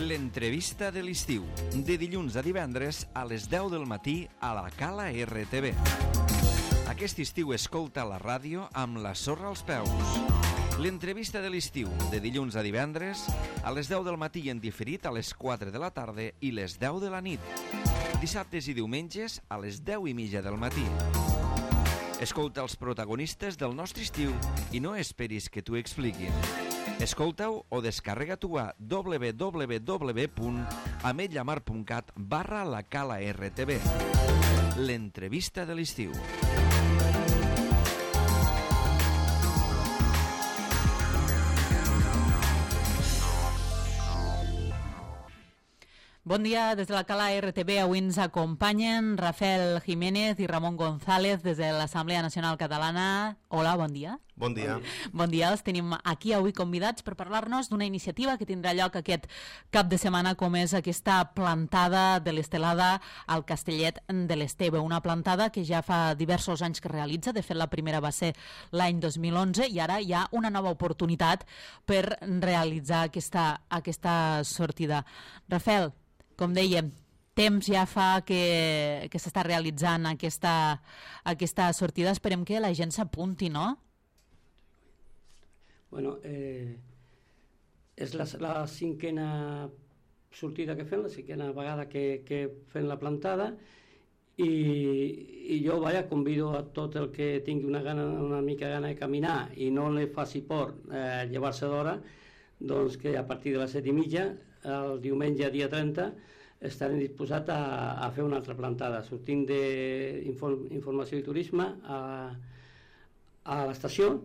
L'entrevista de l'estiu, de dilluns a divendres a les 10 del matí a la Cala RTV. Aquest estiu escolta la ràdio amb la sorra als peus. L'entrevista de l'estiu, de dilluns a divendres a les 10 del matí en diferit a les 4 de la tarda i les 10 de la nit. Dissabtes i diumenges a les 10:30 del matí. Escolta els protagonistes del nostre estiu i no esperis que t'ho expliquin. Escolta-ho o descarrega-t'ho a www.ametlllamar.cat/la Cala RTV. L'entrevista de l'estiu. Bon dia, des de la Cala RTV avui ens acompanyen Rafael Jiménez i Ramon González des de l'Assemblea Nacional Catalana. Hola, bon dia. Bon dia. Bon dia, els tenim aquí avui convidats per parlar-nos d'una iniciativa que tindrà lloc aquest cap de setmana, com és aquesta plantada de l'estelada al Castellet de l'Esteve. Una plantada que ja fa diversos anys que realitza, de fet la primera va ser l'any 2011 i ara hi ha una nova oportunitat per realitzar aquesta sortida. Rafael, com dèiem, temps ja fa que s'està realitzant aquesta sortida. Esperem que la gent s'apunti, no? Bueno, és la cinquena sortida que fem, la cinquena vegada que fem la plantada i jo convido a tot el que tingui una mica gana de caminar i no li faci por llevar-se d'hora, doncs que a partir de les 7:30 el diumenge dia 30 estarem disposats a fer una altra plantada, sortint d'informació i turisme a l'estació.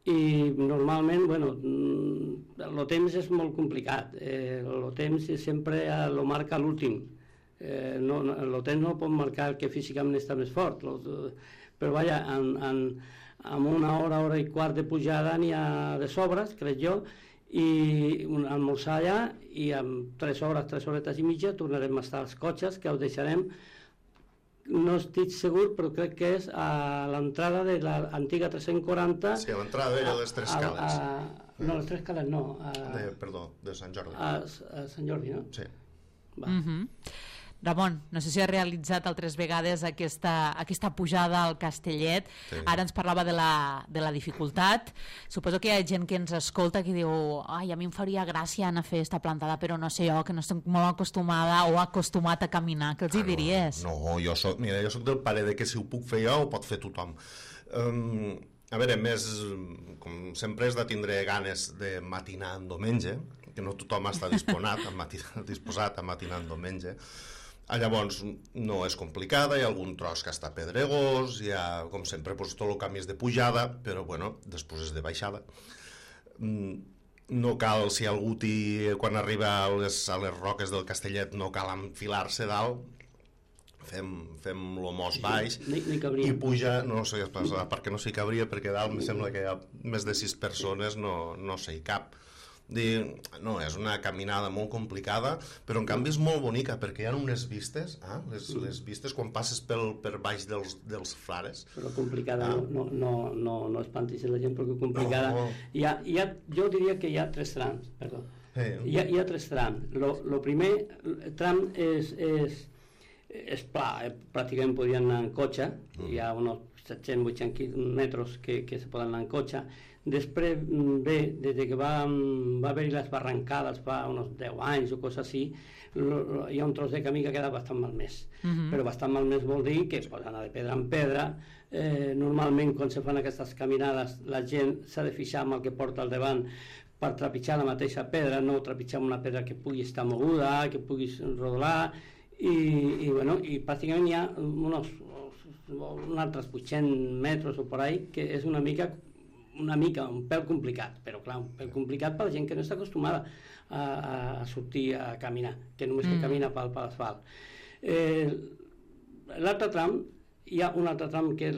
I normalment, el temps és molt complicat, el temps sempre el marca l'últim, el temps no pot marcar el que físicament està més fort, però vaja, amb una hora i quart de pujada n'hi ha de sobres, crec jo, i almorzar allà i amb 3 horetes i mitja tornarem a estar als cotxes, que els deixarem, no estic segur, però crec que és a l'entrada de l'antiga 340. Sí, a l'entrada de les Tres Cales. No, les Tres Cales no. Perdó, de Sant Jordi. A Sant Jordi, no? Sí. Ramon, no sé si ha realitzat altres vegades aquesta pujada al Castellet. Sí. Ara ens parlava de la dificultat. Suposo que hi ha gent que ens escolta que diu, ai, a mi em faria gràcia anar a fer esta plantada, però no sé jo, que no estic molt acostumada o acostumat a caminar. Què els hi diries? No, jo soc del pare de que si ho puc fer jo ho pot fer tothom. A veure, més, com sempre, és de tindre ganes de matinar en diumenge, que no tothom està disposat a matinar en diumenge. Llavors no és complicada, hi ha algun tros que està pedregós, hi ha, com sempre, tot el camí és de pujada, però després és de baixada. No cal, si algú quan arriba a les roques del Castellet no cal enfilar-se dalt, fem lo mos baix i puja, no sé perquè no s'hi cabria, perquè dalt em sembla que hi ha més de 6 persones, no s'hi cap. No, és una caminada molt complicada, però en canvi és molt bonica perquè hi ha unes vistes, les vistes quan passes per baix dels frares. Però complicada, no espantis la gent perquè complicada. Jo diria que hi ha 3 trams, perdó. Hi ha 3 trams. El primer tram és pla, pràcticament podien anar en cotxe, hi ha uns 700-800 metres que se poden anar en cotxe. Després des que va haver-hi les barrancades fa uns 10 anys o coses així, hi ha un tros de camí que ha quedat bastant malmès. Però bastant malmès vol dir que es pot anar de pedra en pedra. Normalment quan se fan aquestes caminades la gent s'ha de fixar amb el que porta al davant per trepitjar la mateixa pedra, no trepitjar una pedra que pugui estar moguda, que puguis rodolar, i pràcticament hi ha uns altres 800 metres o per ahí, que és una mica un pèl complicat, però clar, un pèl complicat per la gent que no està acostumada a sortir a caminar, que només que camina per l'asfalt. L'altre tram, hi ha un altre tram que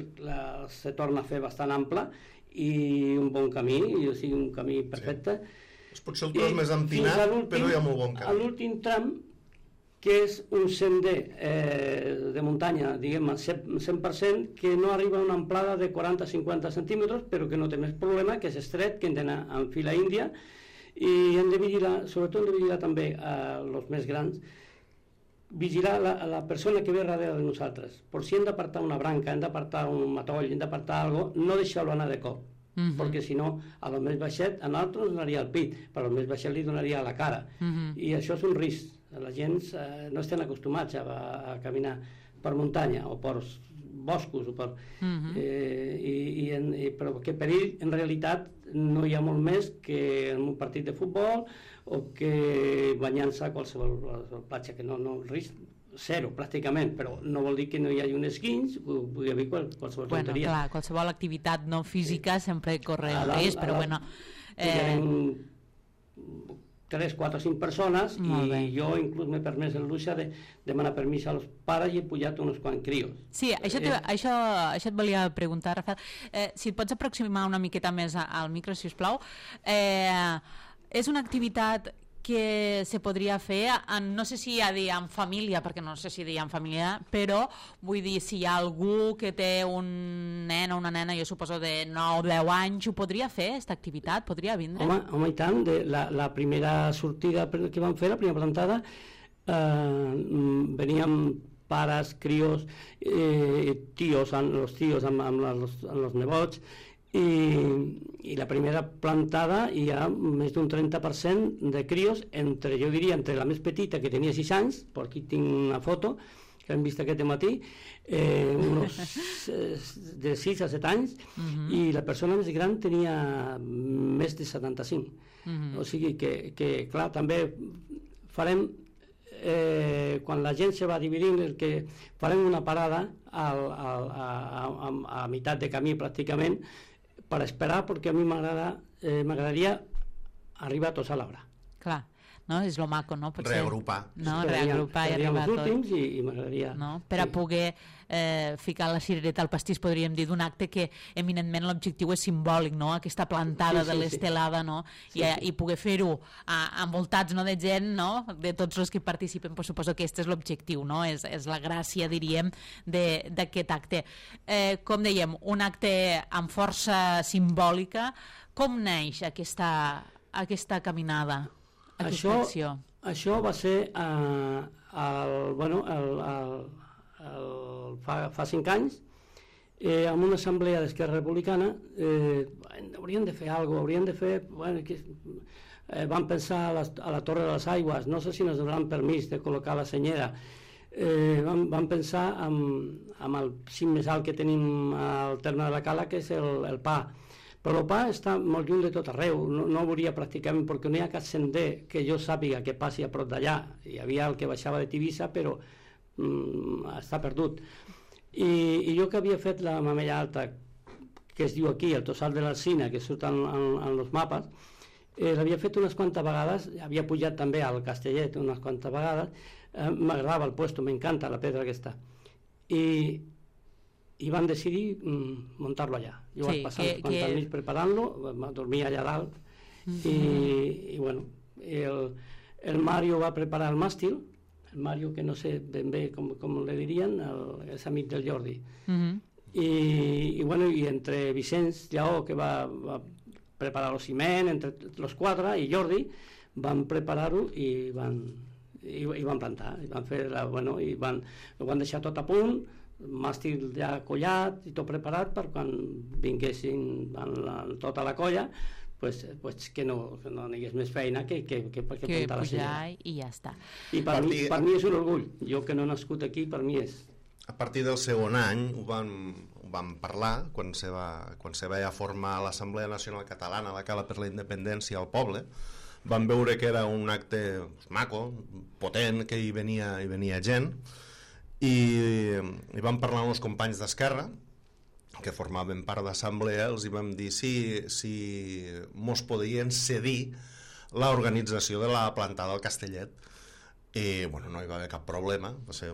se torna a fer bastant ample i un bon camí, o sigui, un camí perfecte. És potser el tros més empinat, però hi ha molt bon camí. L'últim tram, que és un sender de muntanya, diguem, 100%, que no arriba a una amplada de 40-50 centímetres, però que no té més problema, que és estret, que hem d'anar en fila índia, I hem de vigilar, sobretot hem de vigilar també els més grans, vigilar la persona que ve darrere de nosaltres. Per si hem d'apartar una branca, hem d'apartar un matoll, hem d'apartar alguna cosa, no deixar-lo anar de cop, perquè si no, a lo més baixet, a nosaltres donaria el pit, però a lo més baixet li donaria a la cara. I això és un risc. La gent no estan acostumats a caminar per muntanya o per boscos, però que perill en realitat no hi ha molt més que en un partit de futbol o que banyant-se a qualsevol platja, que no, risc zero pràcticament, però no vol dir que no hi hagi un esquinç, pugui haver qualsevol tonteria. Clar, qualsevol activitat no física sempre corre el risc, però bueno... 3, 4, 5 persones i jo inclús m'he permès el luxe de demanar permís als pares i he pujat uns quants crios. Sí, això et volia preguntar, Rafael. Si et pots aproximar una miqueta més al micro, si us plau. És una activitat que se podria fer, no sé si hi ha dir en família, perquè no sé si dir en família, però vull dir, si hi ha algú que té un nen o una nena, jo suposo de 9 o 10 anys, ho podria fer, aquesta activitat? Podria vindre? Home, i tant. La primera sortida que vam fer, la primera plantada, veníem pares, crios, tios, los tios amb els nebots, i la primera plantada hi ha més d'un 30% de crios, jo diria entre la més petita, que tenia 6 anys, per aquí tinc una foto que hem vist aquest matí, de 6 a 7 anys, i la persona més gran tenia més de 75. O sigui que clar, també farem, quan la gent se va dividint, que farem una parada a meitat de camí pràcticament, per esperar, perquè a mi m'agradaria arribar tots a l'hora. Clar, no? És lo maco, no? Reagrupar. No, reagrupar i arribar els últims i m'agradaria... No? Per a poder ficar la cirereta al pastís, podríem dir, d'un acte que eminentment l'objectiu és simbòlic, no? Aquesta plantada de l'estelada, no? I poder fer-ho envoltats, no, de gent, no? De tots els que participen, pues suposo que aquest és l'objectiu, no? És la gràcia, diríem, d'aquest acte. Com dèiem, un acte amb força simbòlica. Com neix aquesta caminada? Això va ser fa 5 anys, en una assemblea d'Esquerra Republicana. Hauríem de fer alguna cosa, hauríem de fer... Vam pensar a la Torre de les Aigües, no sé si ens donaran permís de col·locar la senyera. Vam pensar amb el cim més alt que tenim al terme de la Cala, que és el Pa. Però el Pa està molt lluny de tot arreu, no veuria pràcticament, perquè no hi ha cap sender que jo sàpiga que passi a prop d'allà. Hi havia el que baixava de Tivissa, però està perdut. I jo que havia fet la Mamella Alta, que es diu aquí, el Tossal de l'Alzina, que surt en els mapes, l'havia fet unes quantes vegades, havia pujat també al Castellet unes quantes vegades, m'agradava el puesto, m'encanta la pedra aquesta. I van decidir muntar-lo allà. Jo vaig passar uns quants anys preparant-lo, dormia allà dalt, i bueno, el Mario va preparar el màstil, el Mario, que no sé ben bé com le dirien, és amic del Jordi. I entre Vicenç Lleó, que va preparar el ciment, entre els 4, i Jordi, van preparar-ho i van plantar, i van fer i ho van deixar tot a punt, màstil ja collat i tot preparat per quan vinguessin tota la colla, que no hi hagués més feina que plantar la senyera. I ja està. I per mi és un orgull. Jo que no he nascut aquí, per mi és... A partir del segon any ho vam parlar, quan se va ja formar l'Assemblea Nacional Catalana, la Cala per la Independència al poble. Vam veure que era un acte maco, potent, que hi venia gent, i vam parlar amb els companys d'Esquerra, que formaven part d'assemblea, els hi vam dir si mos podien cedir l'organització de la plantada al Castellet. I no hi va haver cap problema, va ser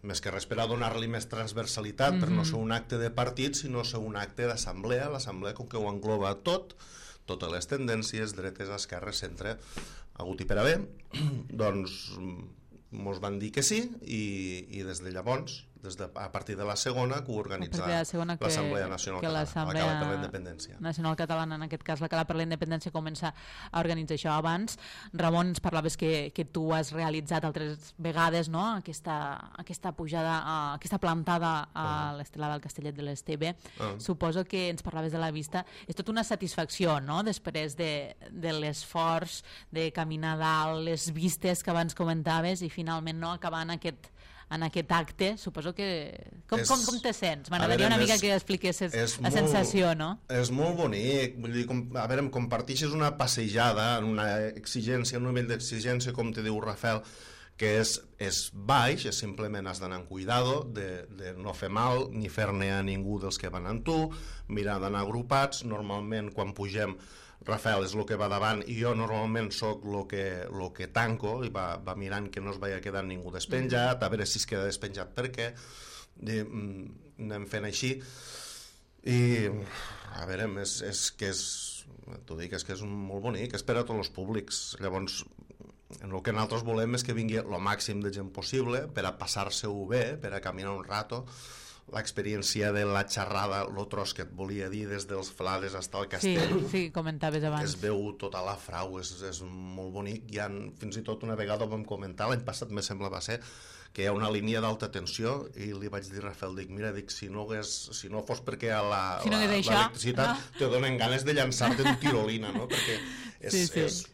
més que res per a donar-li més transversalitat, per no ser un acte de partit, sinó ser un acte d'assemblea. L'assemblea, com que ho engloba totes les tendències, dretes, esquerres, centre, hagut i per haver, doncs mos van dir que sí, i des de llavors a partir de la segona, que ho organitza l'Assemblea Nacional Catalana, la Cala per la Independència. Nacional Catalana, en aquest cas la Cala per la Independència, comença a organitzar això abans. Ramon, ens parlaves que tu has realitzat altres vegades, no?, aquesta pujada, aquesta plantada a l'estelada del Castellet de l'Esteve. Suposo que ens parlaves de la vista. És tot una satisfacció, no?, després de l'esforç de caminar dalt, les vistes que abans comentaves i finalment no acabar en aquest acte. Suposo que... Com te sents? M'agradaria una mica que expliquessis la sensació, no? És molt bonic. Vull dir, a veure, em comparteixes una passejada, una exigència, un nivell d'exigència, com te diu Rafael, que és baix, simplement has d'anar amb cuidado, de no fer mal, ni fer-ne a ningú dels que van amb tu, mirar d'anar agrupats. Normalment, quan pugem, Rafael és el que va davant i jo normalment sóc el que tanco i va mirant que no es vagi quedant ningú despenjat, a veure si es queda despenjat per què, anem fent així i a veure, t'ho dic, és que és molt bonic, és per a tots els públics. Llavors el que nosaltres volem és que vingui el màxim de gent possible per a passar-se-ho bé, per a caminar un rato. L'experiència de la xerrada, el tros que et volia dir des dels Flades fins al castell, sí, comentaves abans. Es veu tota la frau, és molt bonic. Fins i tot una vegada ho vam comentar, l'any passat me sembla va ser, que hi ha una línia d'alta tensió i li vaig dir a Rafael, mira, si no fos perquè l'electricitat te donen ganes de llançar-te en tirolina, no? Perquè és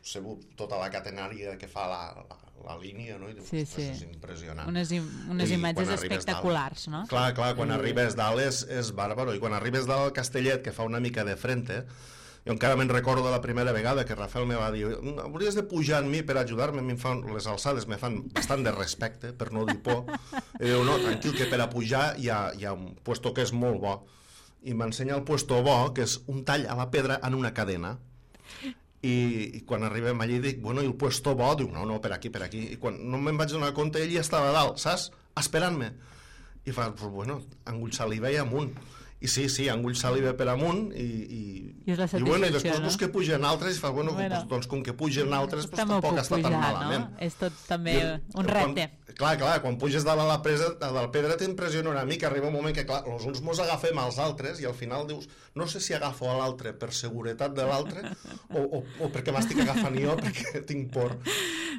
tota la catenària que fa la línia, no? I dius, és impressionant. Unes imatges espectaculars, no? Clar, quan arribes dalt és bàrbaro, i quan arribes dalt al Castellet, que fa una mica de frente, jo encara me'n recordo de la primera vegada que Rafael me va dir, hauries de pujar amb mi per ajudar-me, les alçades me fan bastant de respecte, per no dir por, i diu, no, tranquil, que per a pujar hi ha un puesto que és molt bo, i m'ensenya el puesto bo, que és un tall a la pedra en una cadena, i quan arribem allí dic, bueno, i el puesto bo? Diu, no, per aquí, i quan no me'n vaig donar compte, ell ja estava dalt, saps? Esperant-me. I fa, pues bueno, engull saliva i amunt. I sí, engull saliva per amunt i després no? Que pugen altres i fa, bueno, doncs com que pugen altres pues, tampoc està tan malament. No? És tot també un repte. Clar, quan puges dalt a la pedra t'impressiona una mica, arriba un moment que clar, els uns mos agafem als altres i al final dius, no sé si agafo a l'altre per seguretat de l'altre o perquè m'estic agafant jo perquè tinc por,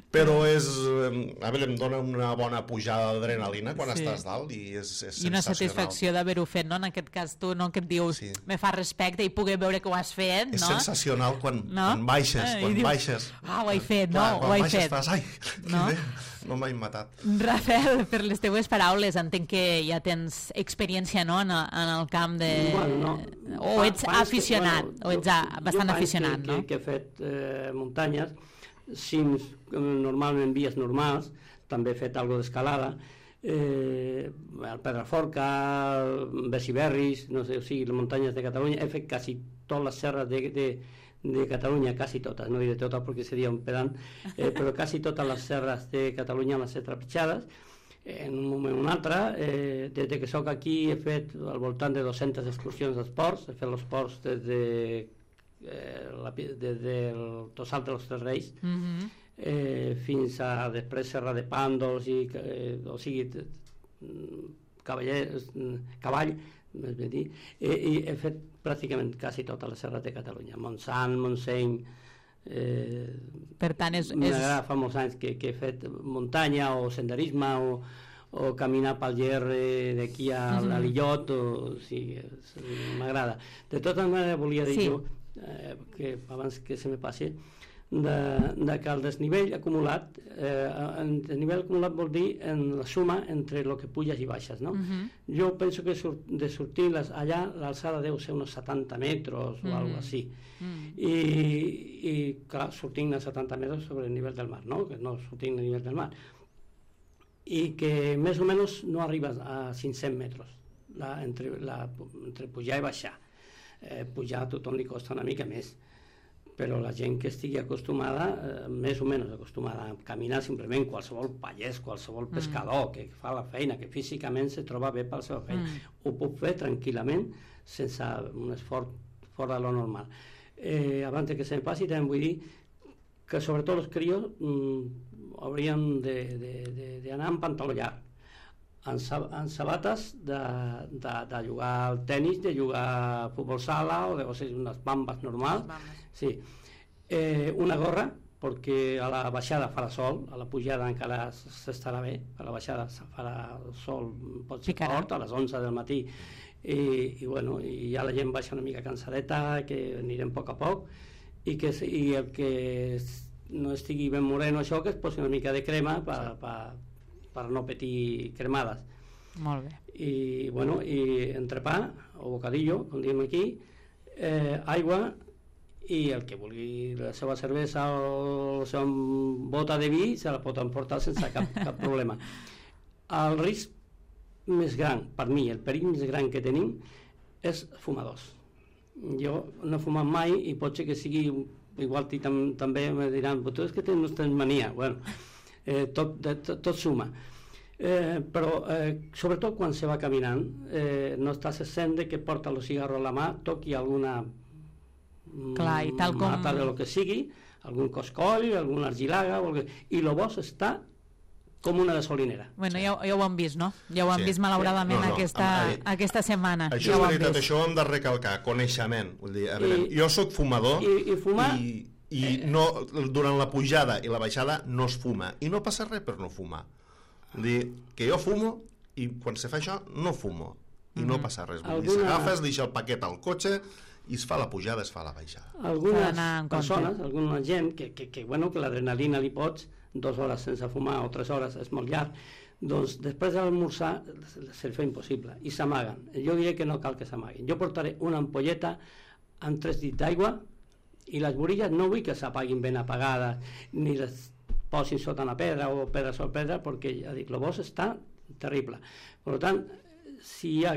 però a veure, em dona una bona pujada d'adrenalina quan estàs dalt i és sensacional. I una satisfacció d'haver-ho fet, no? En aquest cas tu, no, que et dius, me fa respecte i poder veure que ho has fet, no? És sensacional quan baixes, ho he fet, no? Ho he fet. Fas, no m'he matat. Rafael, per les teves paraules, entenc que ja tens experiència, no?, en el camp de... O ets aficionat, o ets bastant aficionat, no? Jo que he fet muntanyes, cims, normalment vies normals, també he fet alguna d'escalada, el Pedraforca, Besiberris, no sé, o sigui, les muntanyes de Catalunya, he fet quasi totes les serres de Catalunya, quasi totes, no diré totes perquè seria un pedant, però quasi totes les serres de Catalunya les he trepitjades, en un moment o un altre. Des que soc aquí he fet al voltant de 200 excursions d'esports, he fet els esports des del Tossal dels Tres Reis, fins a després Serra de Pàndols o sigui cavall més bé dir, i he fet pràcticament quasi totes les serres de Catalunya, Montsant, Montseny, per tant m'agrada fa molts anys que he fet muntanya o senderisme o caminar pel Ger d'aquí a l'Illot, o sigui, m'agrada. De tota manera volia dir jo que abans que se me passi que el desnivell acumulat, el desnivell acumulat vol dir en la suma entre el que puges i baixes, no? Jo penso que de sortir allà l'alçada deu ser uns 70 metres o alguna cosa així, i clar, sortint a 70 metres sobre el nivell del mar, no? Que no sortint al nivell del mar, i que més o menys no arribes a 500 metres entre pujar i baixar. Pujar a tothom li costa una mica més, però la gent que estigui acostumada, més o menys acostumada a caminar, simplement qualsevol pagès, qualsevol pescador que fa la feina, que físicament se troba bé per la seva feina, ho puc fer tranquil·lament sense un esforç fora de lo normal. Abans que se'm passi, també vull dir que sobretot els crios haurien d'anar amb pantaló llarg. en sabates de jugar al tenis, de jugar a futbol sala o sigui, unes bambes normals. Sí. Una gorra, perquè a la baixada farà sol, a la pujada encara s'estarà bé, a la baixada farà sol, pot ser fort, a les 11 del matí, i bueno, i ja la gent baixa una mica cansadeta, que anirem a poc, i el que no estigui ben moreno això, que es posi una mica de crema per no patir cremades. Molt bé. I, bueno, i entrepà, o bocadillo, com diem aquí, aigua, i el que vulgui la seva cervesa o la seva bota de vi se la pot emportar sense cap problema. El risc més gran, per mi, el perill més gran que tenim és fumadors. Jo no he fumat mai i pot ser que sigui, igual també me diran, però tu és que no tens mania. Bueno, tot suma. Però sobretot quan se va caminant no estàs sent que porta el cigarro a la mà, toqui alguna mata de lo que sigui, algun coscoll, alguna argilaga, i el bosc està com una gasolinera. Bueno, ja ho hem vist, no? Ja ho hem vist malauradament aquesta setmana. Això és veritat, això ho hem de recalcar, coneixement. Vull dir, a veure, jo sóc fumador i no, durant la pujada i la baixada no es fuma, i no passa res per no fumar. Vull dir, que jo fumo i quan se fa això no fumo i no passa res. Vull dir, s'agafa, es deixa el paquet al cotxe i es fa la pujada, es fa la baixada. Algunes persones, alguna gent que l'adrenalina li pots 2 hores sense fumar o 3 hores és molt llarg, doncs després de l'almorzar se'l fa impossible i s'amaguen. Jo diré que no cal que s'amaguin. Jo portaré una ampolleta amb 3 dits d'aigua i les borilles no vull que s'apaguin ben apagades ni les posin sota una pedra o pedra sobre pedra, perquè ja dic, el bosc està terrible. Per tant, si hi ha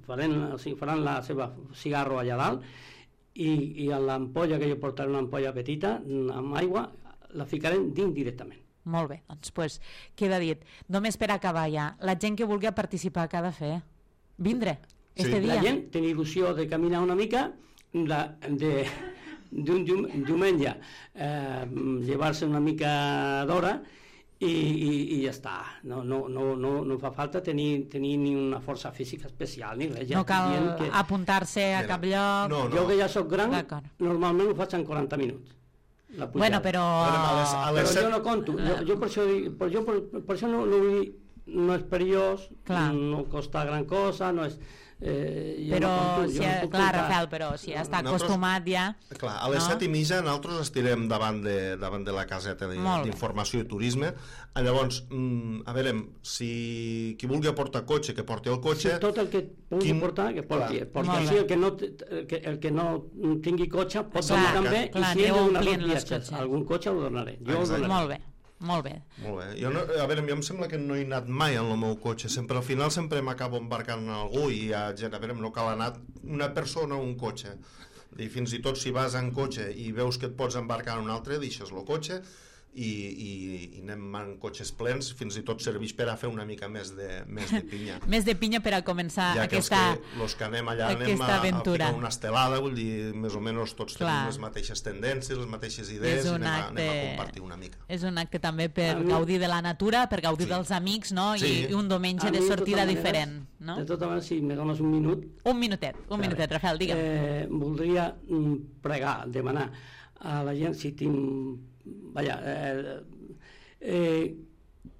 faran la seva cigarro allà dalt i en l'ampolla, que jo portaré una ampolla petita amb aigua, la ficarem dins directament. Molt bé, doncs queda dit. Només per acabar ja, la gent que vulgui participar, què ha de fer? Vindre, este dia. La gent té il·lusió de caminar una mica, d'un diumenge llevar-se una mica d'hora i ja està. No fa falta tenir ni una força física especial ni res. No cal apuntar-se a cap lloc. Jo que ja soc gran, normalment ho faig en 40 minuts. Bueno, però jo no conto. Jo per això no vull dir, no és perillós, no costa gran cosa, no és... però, Rafael, però si està acostumat ja... Clar, a les 7:30 nosaltres estirem davant de la caseta d'informació i turisme. Llavors, a veure, si qui vulgui portar cotxe, que porti el cotxe... Tot el que pugui portar, que porti. Així el que no tingui cotxe pot donar també, i si he de donar viatges algun cotxe ho donaré. Molt bé. Molt bé. Jo em sembla que no he anat mai en el meu cotxe, al final sempre m'acabo embarcant en algú i hi ha gent, no cal anar una persona o un cotxe. Fins i tot si vas en cotxe i veus que et pots embarcar en un altre, deixes el cotxe i anem en cotxes plens, fins i tot serveix per a fer una mica més de pinya. Més de pinya per a començar aquesta aventura. Els que anem allà anem a ficar una estelada, vull dir, més o menys tots tenim les mateixes tendències, les mateixes idees, i anem a compartir una mica. És un acte també per gaudir de la natura, per gaudir dels amics, no? I un diumenge de sortida diferent. De tota manera, si me dones un minut... Un minutet, Rafael, digue'm. Voldria pregar, demanar a la gent, si tinc...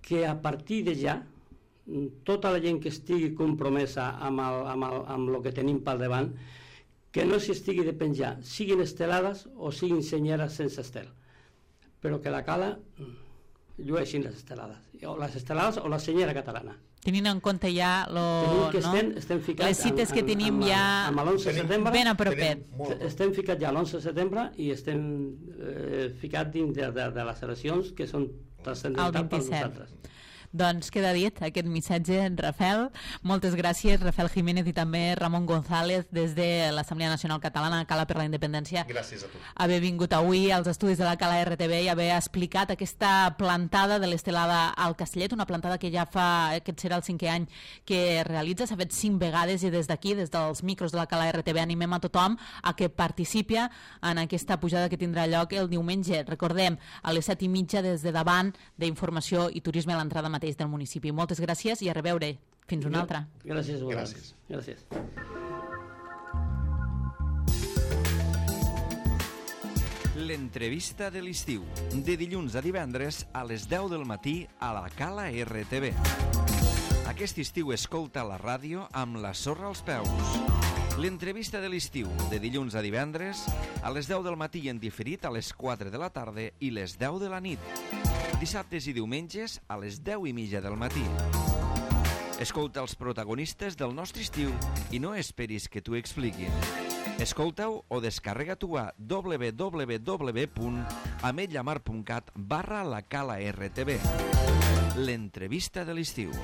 que a partir de ja tota la gent que estigui compromesa amb el que tenim pel davant, que no s'estigui de penjar, siguin estelades o siguin senyeres sense estel, però que la cala llueixin les estelades o la senyera catalana. Tenint en compte ja les cites que tenim ja ben a propet. Estem ficats ja l'11 de setembre i estem ficats dins de les eleccions que són transcendentals per nosaltres. Doncs queda dit aquest missatge, Rafael. Moltes gràcies, Rafael Jiménez i també Ramon González des de l'Assemblea Nacional Catalana, Cala per la Independència. Gràcies a tu. Haver vingut avui als estudis de la Cala RTV i haver explicat aquesta plantada de l'estelada al Castellet, una plantada que ja aquest serà el 5è any que realitza, s'ha fet 5 vegades i des d'aquí, des dels micros de la Cala RTV, animem a tothom a que participi en aquesta pujada que tindrà lloc el diumenge. Recordem, a les 7:30 des de davant d'Informació i Turisme a l'entrada mateixa mateix del municipi. Moltes gràcies i a reveure. Fins una altra. Gràcies a vosaltres. Gràcies. L'entrevista de l'estiu, de dilluns a divendres a les 10 del matí a la Cala RTV. Aquest estiu escolta la ràdio amb la sorra als peus. L'entrevista de l'estiu, de dilluns a divendres a les 10 del matí en diferit a les 4 de la tarda i les 10 de la nit. Dissabtes i diumenges a les 10:30 del matí. Escolta els protagonistes del nostre estiu i no esperis que t'ho expliquin. Escolta-ho o descarrega-t'ho a www.ametllamar.cat/la Cala RTV. L'entrevista de l'estiu.